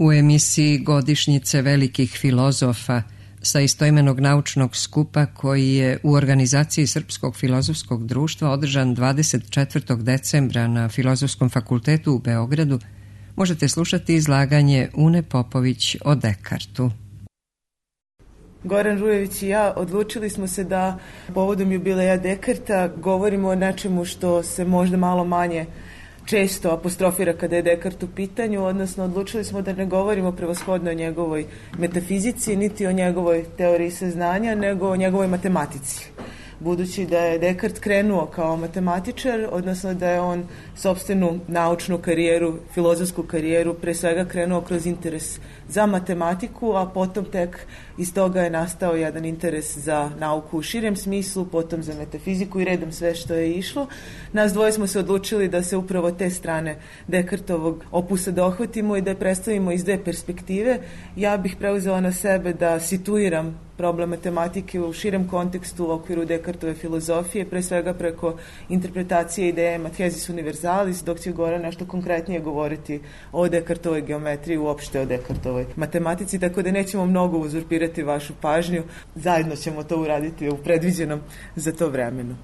U emisiji Godišnjice velikih filozofa sa istoimenog naučnog skupa koji je u organizaciji Srpskog filozofskog društva održan 24. decembra na Filozofskom fakultetu u Beogradu, možete slušati izlaganje Une Popović o Dekartu. Goran Rujević i ja odlučili smo se da povodom jubileja Dekarta govorimo o nečemu što se možda malo manje često apostrofira kada je Dekart u pitanju, odnosno odlučili smo da ne govorimo prevashodno o njegovoj metafizici, niti o njegovoj teoriji saznanja, nego o njegovoj matematici. Budući da je Dekart krenuo kao matematičar, odnosno da je on sopstvenu naučnu karijeru, filozofsku karijeru, pre svega krenuo kroz interes za matematiku, a potom tek iz toga je nastao jedan interes za nauku u širem smislu, potom za metafiziku i redom sve što je išlo. Nas dvoje smo se odlučili da se upravo te strane Dekartovog opusa dohvatimo i da je predstavimo iz dve perspektive. Ja bih preuzela na sebe da situiram problem matematike u širem kontekstu u okviru Dekartove filozofije, pre svega preko interpretacije ideje Mathesis universalis, dok će Goran nešto konkretnije govoriti o Dekartovoj geometriji, uopšte o Dekartovoj matematici, tako da nećemo mnogo uzurpirati vašu pažnju. Zajedno ćemo to uraditi u predviđenom za to vremenu.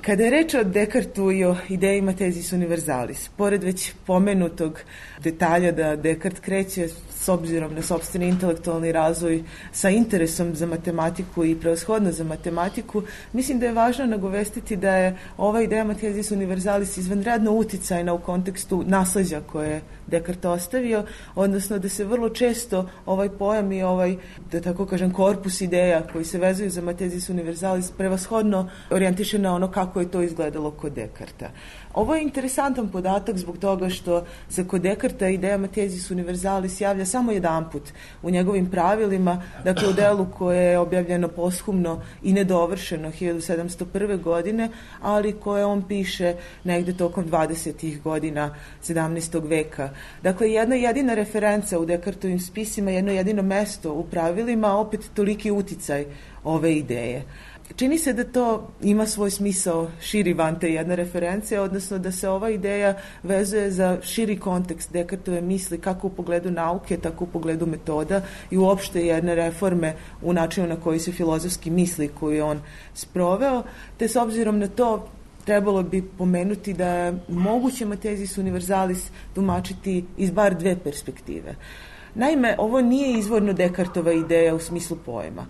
Kada je reč o Dekartu i o ideji Mathesis universalis, pored već pomenutog detalja da Dekart kreće s obzirom na sopstveni intelektualni razvoj sa interesom za matematiku i prevashodno za matematiku, mislim da je važno nagovestiti da je ova ideja Mathesis universalis izvanredno uticajna u kontekstu nasleđa koje je Dekart ostavio, odnosno da se vrlo često ovaj pojam i ovaj, da tako kažem, korpus ideja koji se vezuju za Mathesis universalis prevashodno orijentiše na ono kako je to izgledalo kod Dekarta. Ovo je interesantan podatak zbog toga što se kod Dekarta ideja Mathesis universalis javlja samo jedanput u njegovim pravilima, dakle u delu koje je objavljeno poshumno i nedovršeno 1701. godine, ali koje on piše negde tokom 20. godina 17. veka. Dakle, jedna jedina referenca u Dekartovim spisima, jedno jedino mesto u pravilima, opet toliki uticaj ove ideje. Čini se da to ima svoj smisao širi van te jedne reference, odnosno da se ova ideja vezuje za širi kontekst Dekartove misli kako u pogledu nauke, tako u pogledu metoda i uopšte jedne reforme u načinu na koji se filozofski misli koju je on sproveo, te s obzirom na to trebalo bi pomenuti da je moguće Mathesis universalis tumačiti iz bar dve perspektive. Naime, ovo nije izvorno Dekartova ideja u smislu pojma.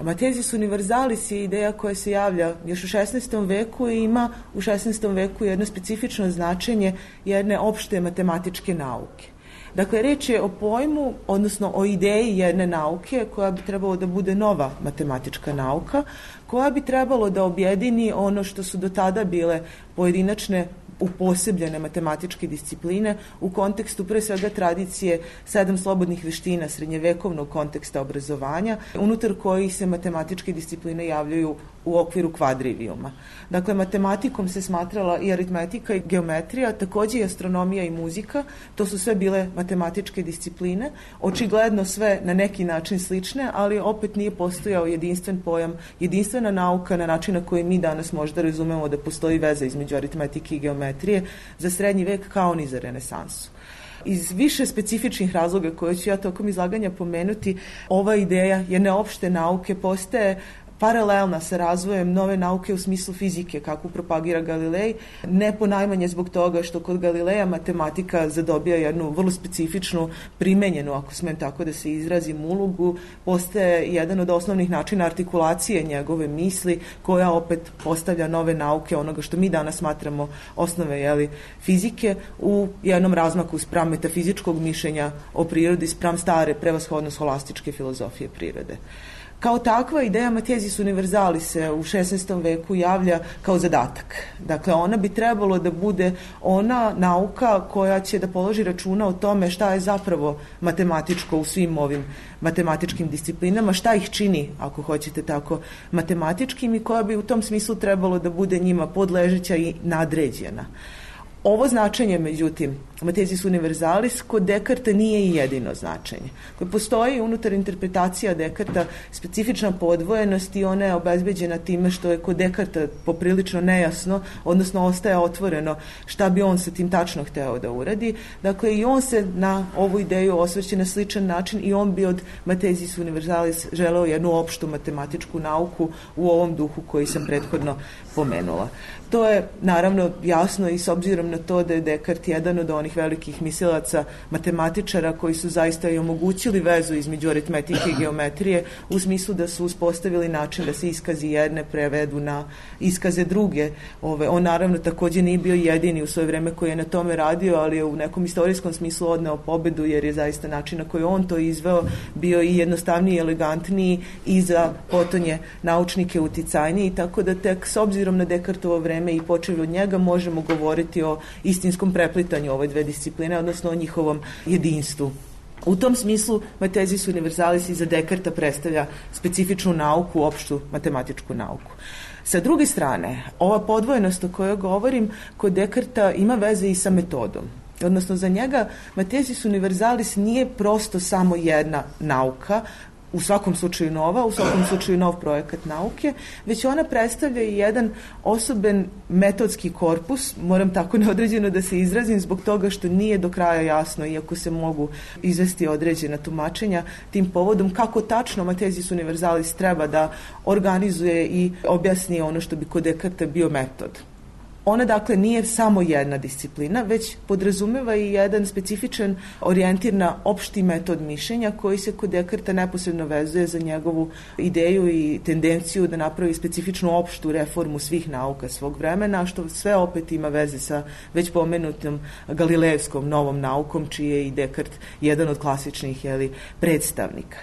Mathesis universalis je ideja koja se javlja još u 16. veku i ima u 16. veku jedno specifično značenje jedne opšte matematičke nauke. Dakle, reč je o pojmu, odnosno o ideji jedne nauke koja bi trebalo da bude nova matematička nauka, koja bi trebalo da objedini ono što su do tada bile pojedinačne uposebljene matematičke discipline u kontekstu pre svega tradicije 7 slobodnih veština srednjevekovnog konteksta obrazovanja, unutar kojih se matematičke discipline javljaju u okviru kvadrivijuma. Dakle, matematikom se smatrala i aritmetika i geometrija, takođe i astronomija i muzika, to su sve bile matematičke discipline, očigledno sve na neki način slične, ali opet nije postojao jedinstven pojam, jedinstvena nauka na način na koji mi danas možda razumemo da postoji veza između aritmetike i geometrije za srednji vek kao ni za renesansu. Iz više specifičnih razloga koje ću ja tokom izlaganja pomenuti, ova ideja jedne opšte nauke postaje paralelna sa razvojem nove nauke u smislu fizike, kako propagira Galilej, ne ponajmanje zbog toga što kod Galileja matematika zadobija jednu vrlo specifičnu, primenjenu, ako smem tako da se izrazim, ulogu, postaje jedan od osnovnih načina artikulacije njegove misli, koja opet postavlja nove nauke, onoga što mi danas smatramo osnove fizike, u jednom razmaku spram metafizičkog mišljenja o prirodi, spram stare, prevashodno scholastičke filozofije prirode. Kao takva ideja Mathesis universalis se u 16. veku javlja kao zadatak. Dakle, ona bi trebalo da bude ona nauka koja će da položi računa o tome šta je zapravo matematičko u svim ovim matematičkim disciplinama, šta ih čini, ako hoćete tako, matematičkim i koja bi u tom smislu trebalo da bude njima podležeća i nadređena. Ovo značenje, međutim, Mathesis universalis, kod Dekarta nije i jedino značenje. Postoji unutar interpretacija Dekarta specifična podvojenost i ona je obezbeđena time što je kod Dekarta poprilično nejasno, odnosno ostaje otvoreno šta bi on sa tim tačno hteo da uradi. Dakle, i on se na ovu ideju osvrće na sličan način i on bi od Mathesis universalis želeo jednu opštu matematičku nauku u ovom duhu koji sam prethodno pomenula. To je naravno jasno i s obzirom na to da je Dekart jedan od onih velikih mislilaca matematičara koji su zaista i omogućili vezu između aritmetike i geometrije u smislu da su uspostavili način da se iskazi jedne prevedu na iskaze druge. On naravno također nije bio jedini u svoje vreme koji je na tome radio, ali je u nekom istorijskom smislu odneo pobedu jer je zaista način na koji on to izveo bio i jednostavniji, elegantniji i za potonje naučnike uticajniji, tako da tek s obzirom na Dekartovo vreme i počev od njega možemo govoriti o istinskom preplitanju ove dve discipline, odnosno o njihovom jedinstvu. U tom smislu Mathesis universalis iza Dekarta predstavlja specifičnu nauku, opštu matematičku nauku. Sa druge strane, ova podvojenost o kojoj govorim kod Dekarta ima veze i sa metodom. Odnosno, za njega Mathesis universalis nije prosto samo jedna nauka, u svakom slučaju nova, u svakom slučaju nov projekat nauke, već ona predstavlja i jedan osoben metodski korpus, moram tako neodređeno da se izrazim zbog toga što nije do kraja jasno, iako se mogu izvesti određena tumačenja tim povodom, kako tačno Mathesis universalis treba da organizuje i objasni ono što bi kod Dekarta bio metod. Ona dakle nije samo jedna disciplina, već podrazumeva i jedan specifičan orijentir na opšti metod mišljenja koji se kod Dekarta neposredno vezuje za njegovu ideju i tendenciju da napravi specifičnu opštu reformu svih nauka svog vremena, što sve opet ima veze sa već pomenutom galilejevskom novom naukom, čiji je i Dekart jedan od klasičnih predstavnika.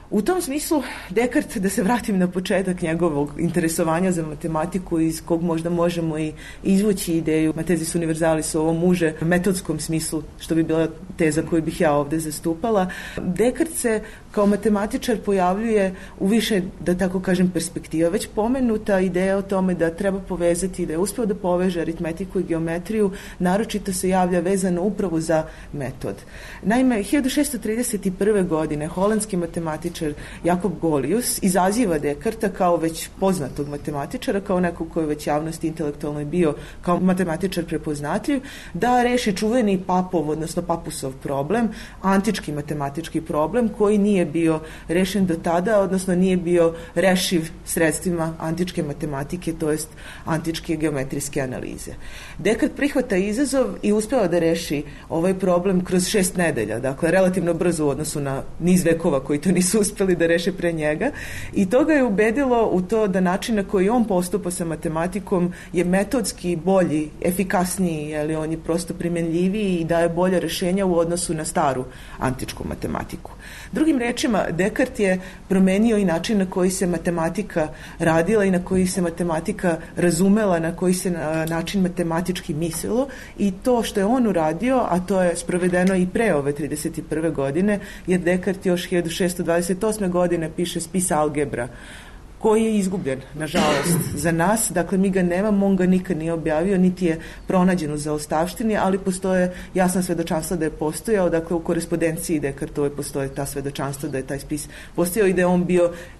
U tom smislu Dekart, da se vratim na početak njegovog interesovanja za matematiku iz kog možda možemo i izvući ideju Mathesis universalis u ovom uže metodskom smislu, što bi bila teza koju bih ja ovde zastupala, Dekart se kao matematičar pojavljuje u više, da tako kažem, perspektiva. Već pomenuta ideja o tome da treba povezati, da je uspeo da poveže aritmetiku i geometriju, naročito se javlja vezano upravo za metod. Naime, 1631. godine holandski matematičar Jakob Golius izaziva Dekarta kao već poznatog matematičara, kao nekog koji je već javnosti intelektualno bio kao matematičar prepoznatljiv, da reši čuveni Papov, odnosno Papusov problem, antički matematički problem koji nije bio rešen do tada, odnosno nije bio rešiv sredstvima antičke matematike, to jest antičke geometrijske analize. Dekart prihvata izazov i uspeva da reši ovaj problem kroz 6 nedelja, dakle relativno brzo u odnosu na niz vekova koji to nisu uspeli da reše pre njega, i to ga je ubedilo u to da način na koji on postupa sa matematikom je metodski bolji, efikasniji, on je prosto primenljiviji i daje bolje rešenja u odnosu na staru antičku matematiku. Drugim rečima, Dekart je promenio i način na koji se matematika radila i na koji se matematika razumela, na koji se način matematički mislilo, i to što je on uradio, a to je sprovedeno i pre ove 31. godine, jer Dekart još 1628. godine piše spis algebra, koji je izgubljen, nažalost, za nas. Dakle, mi ga nemamo, on ga nikad nije objavio, niti je pronađen u zaostavštini, ali postoje jasna svedočanstva da je postojao, dakle, u korespondenciji Dekartove postoje ta svedočanstva da je taj spis postojao i da je on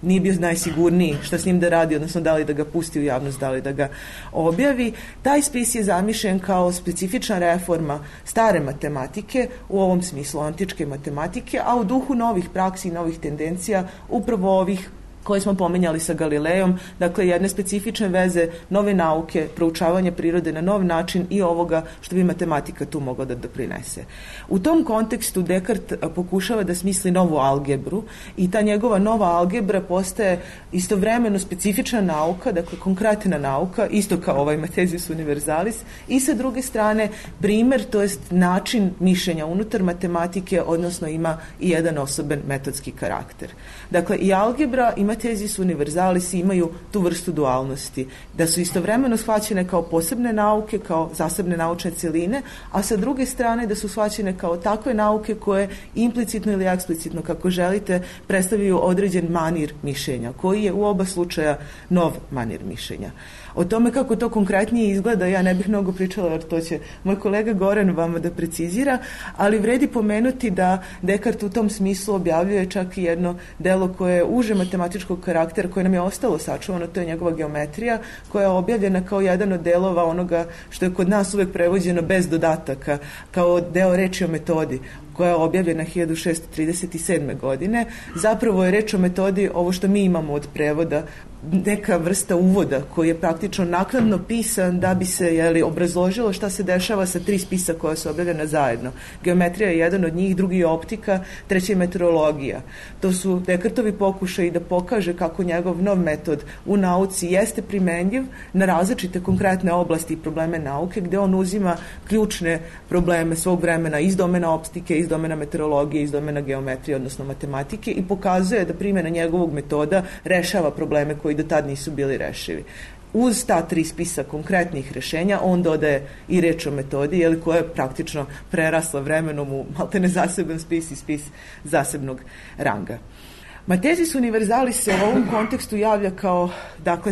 nije bio najsigurniji šta s njim da radi, odnosno da li da ga pusti u javnost, da li da ga objavi. Taj spis je zamišljen kao specifična reforma stare matematike, u ovom smislu antičke matematike, a u duhu novih praksi i novih tendencija, upravo ovih koje smo pomenjali sa Galilejom, dakle jedne specifične veze, nove nauke, proučavanje prirode na nov način i ovoga što bi matematika tu mogla da doprinese. U tom kontekstu Dekart pokušava da smisli novu algebru i ta njegova nova algebra postaje istovremeno specifična nauka, dakle konkretna nauka, isto kao ovaj Mathesis universalis, i sa druge strane primer, to jest način mišljenja unutar matematike, odnosno ima i jedan osoben metodski karakter. Dakle, i algebra i Mathesis universalis imaju tu vrstu dualnosti, da su istovremeno shvaćene kao posebne nauke, kao zasebne naučne celine, a sa druge strane da su shvaćene kao takve nauke koje implicitno ili eksplicitno, kako želite, predstavljaju određen manir mišljenja, koji je u oba slučaja nov manir mišljenja. O tome kako to konkretnije izgleda ja ne bih mnogo pričala, jer to će moj kolega Goran vama da precizira, ali vredi pomenuti da Dekart u tom smislu objavljuje čak i jedno delo koje je uže matematičkog karaktera, koje nam je ostalo sačuvano, to je njegova geometrija, koja je objavljena kao jedan od delova onoga što je kod nas uvek prevođeno bez dodataka, kao deo reči o metodi, koja je objavljena 1637. godine. Zapravo je reč o metodi, ovo što mi imamo od prevoda, neka vrsta uvoda koji je praktično naknadno pisan da bi se obrazložilo šta se dešava sa 3 spisa koja su objavljena zajedno. Geometrija je jedan od njih, drugi je optika, treći je meteorologija. To su Dekartovi pokušaji da pokaže kako njegov nov metod u nauci jeste primenjiv na različite konkretne oblasti i probleme nauke, gde on uzima ključne probleme svog vremena iz domena optike, iz domena meteorologije, iz domena geometrije, odnosno matematike, i pokazuje da primjena njegovog metoda rešava probleme koji do tad nisu bili rešivi. Uz ta 3 spisa konkretnih rešenja on dodaje i reč o metodi, koja je praktično prerasla vremenom u maltene zaseban spis i spis zasebnog ranga. Mathesis universalis se u ovom kontekstu javlja kao,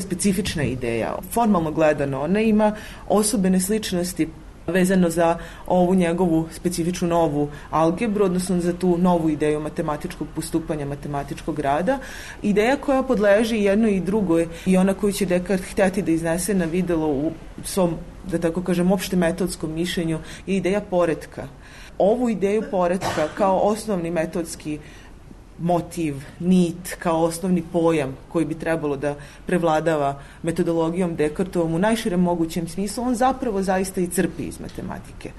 specifična ideja. Formalno gledano, ona ima osobene sličnosti vezano za ovu njegovu specifičnu novu algebru, odnosno za tu novu ideju matematičkog postupanja, matematičkog rada. Ideja koja podleži jednoj i drugoj i ona koju će Dekart htjeti da iznese na videlo u svom, da tako kažem, opšte metodskom mišljenju je ideja poretka. Ovu ideju poretka kao osnovni metodski motiv, nit, kao osnovni pojam koji bi trebalo da prevladava metodologijom Dekartovom u najširem mogućem smislu, on zapravo zaista i crpi iz matematike.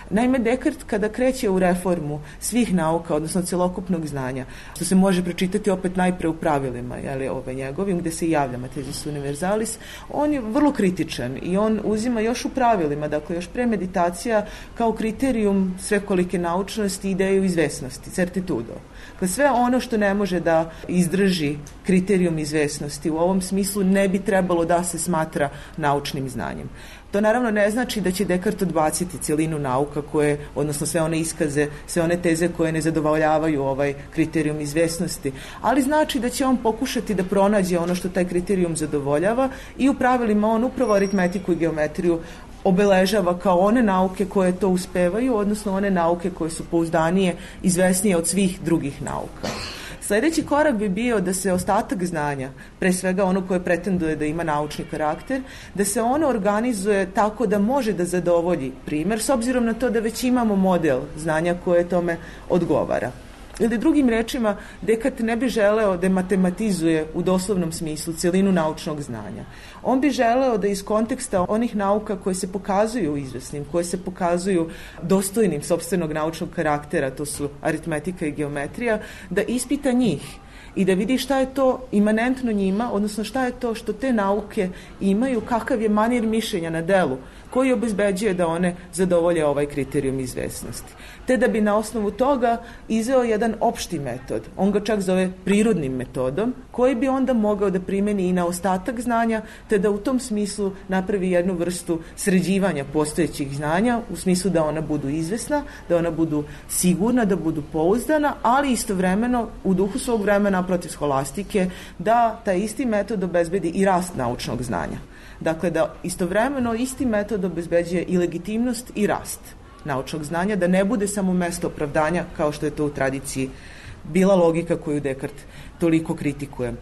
Naime, Dekart kada kreće u reformu svih nauka, odnosno celokupnog znanja, što se može pročitati opet najpre u pravilima, njegovim, gde se javlja Mathesis universalis, on je vrlo kritičan i on uzima još u pravilima, još pre meditacija, kao kriterijum svekolike naučnosti, ideju izvesnosti, certitudo. Sve ono što ne može da izdrži kriterijum izvesnosti u ovom smislu ne bi trebalo da se smatra naučnim znanjem. To naravno ne znači da će Dekart odbaciti celinu nauka koje, odnosno sve one iskaze, sve one teze koje ne zadovoljavaju ovaj kriterijum izvesnosti, ali znači da će on pokušati da pronađe ono što taj kriterijum zadovoljava i u pravilima on upravo aritmetiku i geometriju obeležava kao one nauke koje to uspevaju, odnosno one nauke koje su pouzdanije, izvesnije od svih drugih nauka. Sljedeći korak bi bio da se ostatak znanja, pre svega ono koje pretenduje da ima naučni karakter, da se ono organizuje tako da može da zadovolji primer, s obzirom na to da već imamo model znanja koje tome odgovara. Ili drugim rečima, Dekart ne bi želeo da matematizuje u doslovnom smislu celinu naučnog znanja. On bi želeo da iz konteksta onih nauka koje se pokazuju izvesnim, koje se pokazuju dostojnim sopstvenog naučnog karaktera, to su aritmetika i geometrija, da ispita njih i da vidi šta je to imanentno njima, odnosno šta je to što te nauke imaju, kakav je manir mišljenja na delu, koji obezbeđuje da one zadovolje ovaj kriterijum izvesnosti. Te da bi na osnovu toga izveo jedan opšti metod, on ga čak zove prirodnim metodom, koji bi onda mogao da primeni i na ostatak znanja, te da u tom smislu napravi jednu vrstu sređivanja postojećih znanja, u smislu da ona budu izvesna, da ona budu sigurna, da budu pouzdana, ali istovremeno u duhu svog vremena protiv skolastike, da taj isti metod obezbedi i rast naučnog znanja. Dakle, da istovremeno isti metod obezbeđuje i legitimnost i rast naučnog znanja, da ne bude samo mesto opravdanja kao što je to u tradiciji bila logika koju Dekart toliko kritikuje.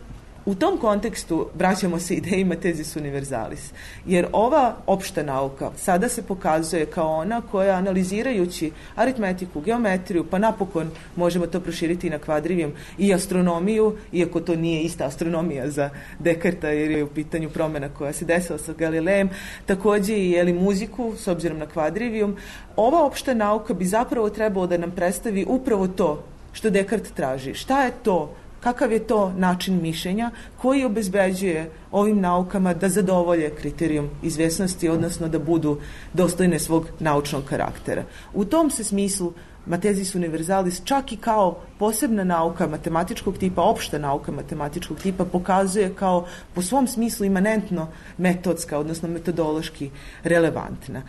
U tom kontekstu vraćamo se ideji Mathesis universalis, jer ova opšta nauka sada se pokazuje kao ona koja, analizirajući aritmetiku, geometriju, pa napokon možemo to proširiti na kvadrivijum i astronomiju, iako to nije ista astronomija za Dekarta jer je u pitanju promjena koja se desila sa Galilejem, takođe i muziku s obzirom na kvadrivijum. Ova opšta nauka bi zapravo trebalo da nam predstavi upravo to što Dekart traži. Šta je to? Kakav je to način mišljenja koji obezbeđuje ovim naukama da zadovolje kriterijum izvesnosti, odnosno da budu dostojne svog naučnog karaktera. U tom se smislu Matesis universalis čak i kao posebna nauka matematičkog tipa, opšta nauka matematičkog tipa, pokazuje kao po svom smislu imanentno metodska, odnosno metodološki relevantna.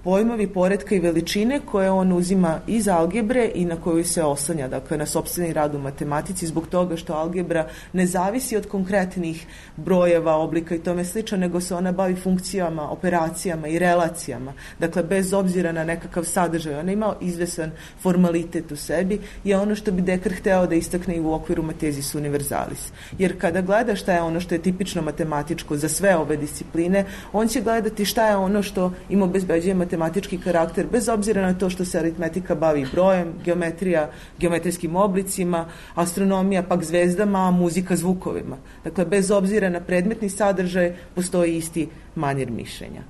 Pojmovi poretka i veličine koje on uzima iz algebre i na koju se oslanja, dakle na sopstveni rad u matematici, zbog toga što algebra ne zavisi od konkretnih brojeva, oblika i tome slično, nego se ona bavi funkcijama, operacijama i relacijama. Dakle, bez obzira na nekakav sadržaj, ona ima izvesan formalitet u sebi, je ono što bi Descartes hteo da istakne i u okviru Matesis universalis. Jer kada gleda šta je ono što je tipično matematičko za sve ove discipline, on će gledati šta je ono što im obezbeđuje matematički karakter, bez obzira na to što se aritmetika bavi brojem, geometrija, geometrijskim oblicima, astronomija pak zvezdama, a muzika zvukovima. Dakle, bez obzira na predmetni sadržaj, postoji isti manir mišljenja.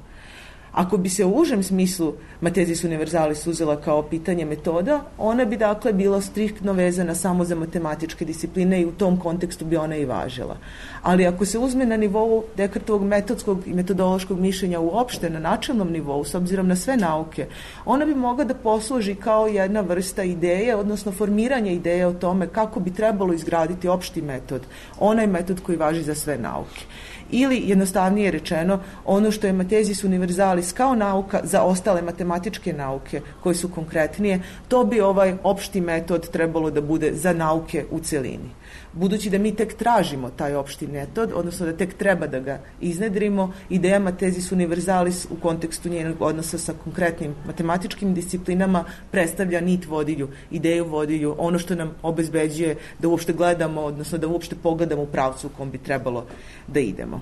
Ako bi se u užem smislu Matesis universalis uzela kao pitanje metoda, ona bi dakle bila striktno vezana samo za matematičke discipline i u tom kontekstu bi ona i važila. Ali ako se uzme na nivou Descartovog metodskog i metodološkog mišljenja uopšte na načelnom nivou, s obzirom na sve nauke, ona bi mogla da posluži kao jedna vrsta ideje, odnosno formiranje ideje o tome kako bi trebalo izgraditi opšti metod, onaj metod koji važi za sve nauke. Ili, jednostavnije rečeno, ono što je Matesis universalis kao nauka za ostale matematičke nauke koje su konkretnije, to bi ovaj opšti metod trebalo da bude za nauke u celini. Budući da mi tek tražimo taj opšti metod, odnosno da tek treba da ga iznedrimo, ideja Matesis universalis u kontekstu njenog odnosa sa konkretnim matematičkim disciplinama predstavlja nit vodilju, ideju vodilju, ono što nam obezbeđuje da uopšte gledamo, odnosno da uopšte pogledamo u pravcu u kom bi trebalo da idemo.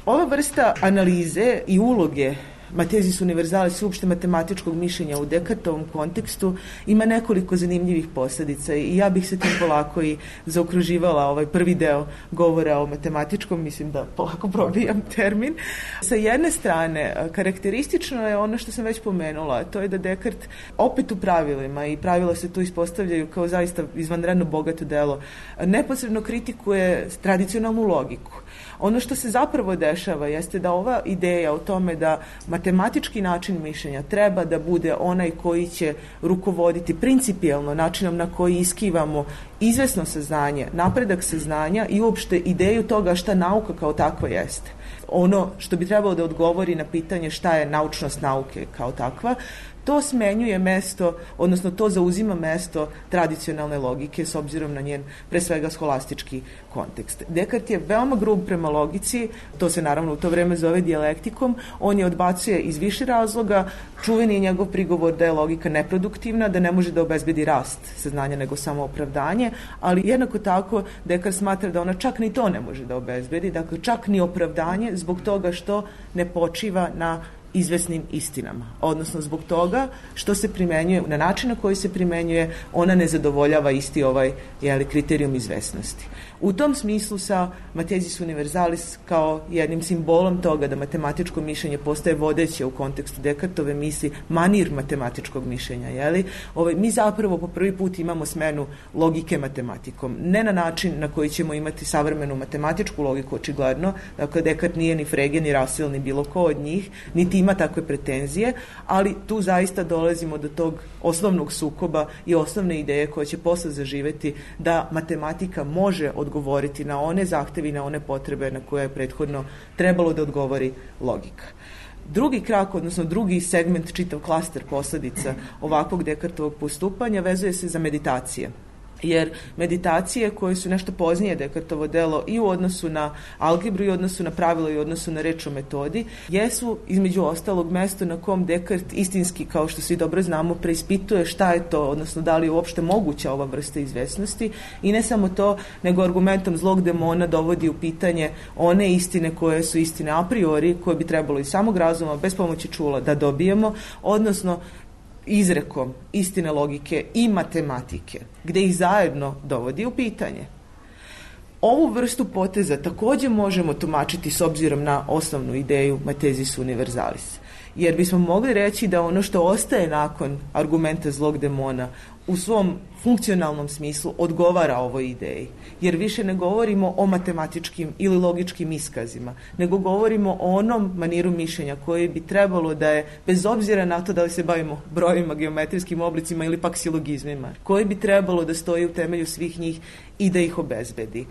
Ova vrsta analize i uloge Matesis universalis uopšte matematičkog mišljenja u Descartovom kontekstu ima nekoliko zanimljivih posljedica i ja bih se tim polako i zaokruživala ovaj prvi deo govora o matematičkom, mislim da polako probijam termin. Sa jedne strane, karakteristično je ono što sam već pomenula, to je da Descartes opet u pravilima, i pravila se tu ispostavljaju kao zaista izvanredno bogato delo, neposredno kritikuje tradicionalnu logiku. Ono što se zapravo dešava jeste da ova ideja o tome da matematički način mišljenja treba da bude onaj koji će rukovoditi principijelno načinom na koji iskivamo izvesno saznanje, napredak saznanja i uopšte ideju toga šta nauka kao takva jeste. Ono što bi trebalo da odgovori na pitanje šta je naučnost nauke kao takva, to smenjuje mesto, odnosno to zauzima mesto tradicionalne logike s obzirom na njen, pre svega, scholastički kontekst. Descartes je veoma grub prema logici, to se naravno u to vreme zove dijalektikom, on je odbacuje iz više razloga, čuveni je njegov prigovor da je logika neproduktivna, da ne može da obezbedi rast saznanja nego samo opravdanje, ali jednako tako Descartes smatra da ona čak ni to ne može da obezbedi, dakle čak ni opravdanje zbog toga što ne počiva na izvesnim istinama, odnosno zbog toga što se primenjuje, na način na koji se primenjuje, ona ne zadovoljava isti ovaj kriterijum izvesnosti. U tom smislu sa Matesis universalis kao jednim simbolom toga da matematičko mišljenje postaje vodeće u kontekstu Descartove misli, manir matematičkog mišljenja, mi zapravo po prvi put imamo smenu logike matematikom. Ne na način na koji ćemo imati savremenu matematičku logiku, očigledno, dakle Descartes nije ni Frege, ni Russell, ni bilo ko od njih, niti ima takve pretenzije, ali tu zaista dolazimo do tog osnovnog sukoba i osnovne ideje koje će posle zaživeti da matematika može odgovoriti na one zahteve i na one potrebe na koje je prethodno trebalo da odgovori logika. Drugi krak, odnosno drugi segment, čitav klaster posledica ovakvog Descartovog postupanja vezuje se za meditacije. Jer meditacije koje su nešto poznije Descartovo delo i u odnosu na algebru i u odnosu na pravilo i u odnosu na reč o metodi, jesu između ostalog mesto na kom Descartes istinski, kao što svi dobro znamo, preispituje šta je to, odnosno da li je uopšte moguća ova vrsta izvesnosti, i ne samo to, nego argumentom zlog demona dovodi u pitanje one istine koje su istine a priori, koje bi trebalo iz samog razuma, bez pomoći čula, da dobijemo, odnosno izrekom istine logike i matematike, gde ih zajedno dovodi u pitanje. Ovu vrstu poteza takođe možemo tumačiti s obzirom na osnovnu ideju Matesis universalis, jer bismo mogli reći da ono što ostaje nakon argumenta zlog demona u svom funkcionalnom smislu odgovara ovoj ideji. Jer više ne govorimo o matematičkim ili logičkim iskazima, nego govorimo o onom maniru mišljenja koji bi trebalo da je, bez obzira na to da li se bavimo brojevima, geometrijskim oblicima ili pak silogizmima, koji bi trebalo da stoji u temelju svih njih i da ih obezbedi.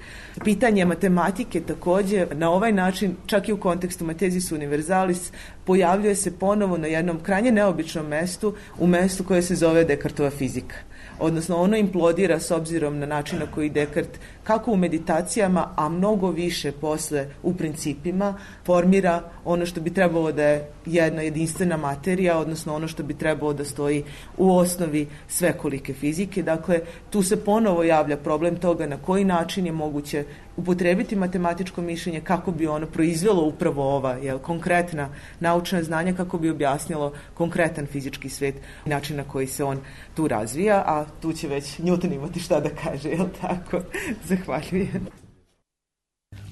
Pitanje matematike također na ovaj način, čak i u kontekstu Mathesis universalis, pojavljuje se ponovo na jednom krajnje neobičnom mestu, u mestu koje se zove Descartova fizika. Odnosno ono implodira s obzirom na način na koji Descartes, kako u meditacijama, a mnogo više posle u principima, formira ono što bi trebalo da je jedna jedinstvena materija, odnosno ono što bi trebalo da stoji u osnovi svekolike fizike. Dakle, tu se ponovo javlja problem toga na koji način je moguće upotrebiti matematičko mišljenje kako bi ono proizvelo upravo ova konkretna naučna znanja, kako bi objasnilo konkretan fizički svet i način na koji se on tu razvija, a tu će već Newton imati šta da kaže, jel tako? Zahvaljujem.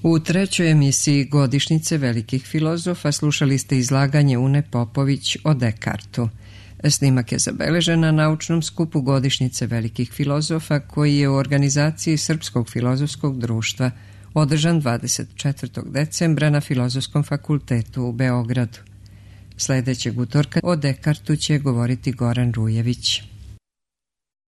U trećoj emisiji Godišnjice velikih filozofa slušali ste izlaganje Une Popović o Descartesu. Snimak je zabeležen na naučnom skupu Godišnjice velikih filozofa koji je u organizaciji Srpskog filozofskog društva održan 24. decembra na Filozofskom fakultetu u Beogradu. Sljedećeg utorka o Descartesu će govoriti Goran Rujević.